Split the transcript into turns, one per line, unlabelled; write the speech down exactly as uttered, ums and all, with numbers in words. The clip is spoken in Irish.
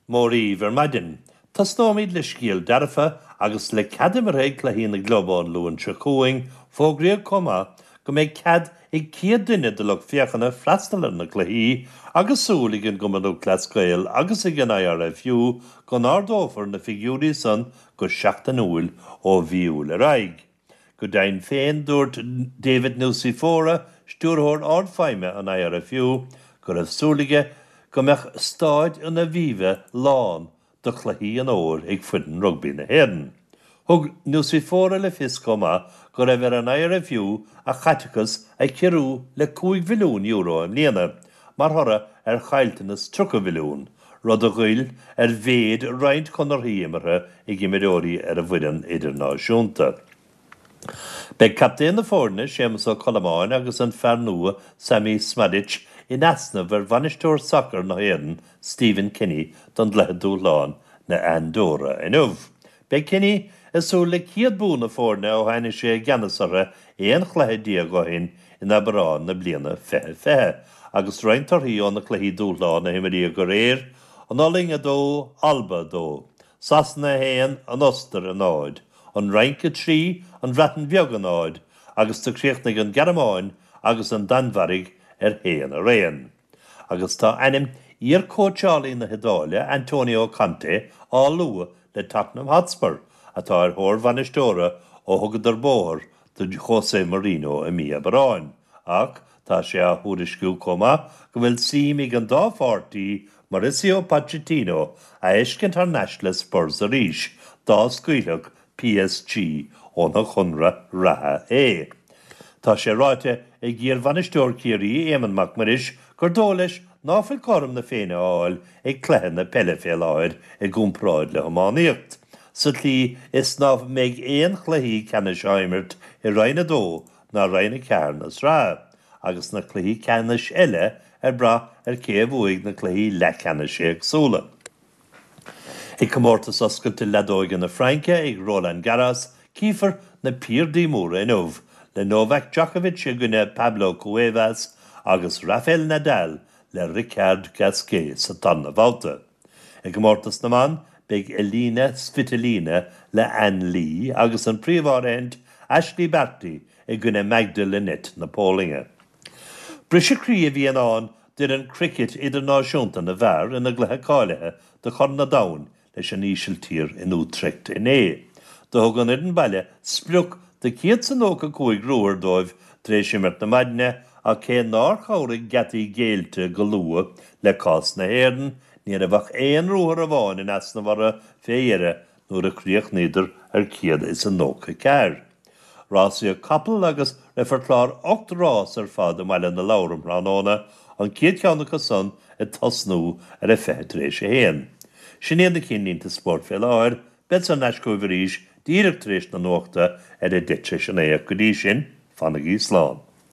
Mór dhaoibh ar maidin. Tosnóimid le scéal dearfa agus le cead imeartha ag cluichí na gclub an Luan seo chugainn, fógraíodh chomh maith go mbeidh cead ag céad duine de lucht féachana freastal ar na cluichí agus súil ag an gCumann Lúthchleas Gael agus ag an I R F U go n-ardófar na figiúirí san go seachtainiúil ó mhí Iúil ar aghaidh. Go deimhin féin, dúirt David Nucifora, stiúrthóir ardfheidhme an I R F U, go raibh súil aige go mbeadh Staid an Aviva lán do chluichí an fhómhair ag foireann rugbaí na hÉireann. Thug Nucifora le fios chomh maith go raibh ar an I R F U a chaiteachas a chiorrú le cúig mhilliún euro i mbliana, mar thoradh ar chaillteanas tríocha mhilliún, rud a ghoill ar mhéid roinnt conarthaí imeartha ag imreoirí ar an bhfoireann idirnáisiúnta. Beidh captaen na foirne Séamus Ó Colmáin agus an fear nua Sammy Szmodics in easnamh ar bhainisteoir sacair na hÉireann Stephen Kenny don gcluiche dúshláin na Andóra inniu. Beidh Kenny ag súil le céad bua na foirne ó tháinig sé i gceannas orthu aon chluiche déag ó shin in Aibreán na bliana fiche fiche, agus roinnt torthaí ó na cluichí dúshláin a imríodh aréir, an Ollainn a dó, Alba a dó, Sasana a haon, an Ostair a náid, an Fhrainc a trí, an Bhreatain Bheag a náid, agus do chríochnaigh an Ghearmáin agus an Danmhairg ar haon araon. Agus tá ainm iar-chóitseálaí na hIodáile Antonio Conte á lua le Tottenham Hotspur atá ar thóir bhainisteora ó thugadar bóthar do José Mourinho i mí Aibreáin, ach tá sé á thuairisciú chomh maith go bhfuil suim ag an dá pháirtí Mauricio Pochettino a fheiscint thar n-ais le Spurs arís dá scaoilfeadh P S G óna chonradh reatha é. Tá sé ráite ag iar-bhainisteoir Chiarraí Éamonn Mac Muiris gur dóigh leis ná fuil cothrom na Féinne á fháil ag cluiche na peile fé láthair i gcomparáid le hiománaíocht, sa tslí is ná mbeidh aon chluichí ceannais á imirt i Roinn a dó ná Roinn a ceathair na sraithe, agus na cluichí ceannais eile ar brath ar cé a bhuaigh na cluichí leathcheannais éagsúla. I gcomórtas oscailte leadóige na Fraince ag Roland Garros, cífear na piardaí móra inniu, le Novak Djokovic i gcoinne Pablo Cuevas agus Rafael Nadal le Richard Gasquet sa tarna babhta. I gcomórtas na mban beidh Elina Svitolina le Ann Li agus an príomháirithint Ashley Barty i gcoinne Magda Linette na Polainne. Briseadh croí a bhí ann d'fhoireann cricket idirnáisiúnta na bhfear ina gcluiche cáilithe do Chorn an Domhain leis an Ísiltír in Utrecht inné. Do thug an fhoireann baile sprioc de céad is nócha cúig ruathar dóibh tar éis imirt na maidine ach cé nár chabhraigh geataí géillte go luath le cás na hÉireann, ní raibh ach aon ruathar amháin in easnamh orthu fé dheireadh nuair a chríochnaíodar ar céad is a nócha ceathair. Rásaíodh capall agus rithfear clár ocht rás ar fad i mBaile na Lobhar um thráthnóna, an chéad cheann acu san ag tosnú ar a fiche tar éis a haon. Sin iad na cinnlínte spóirt fé láthair, beidh an leiscóibh arís díreach tar éis na nuachta ar a deich tar éis a naoi go dtí sin, fanaigí slán.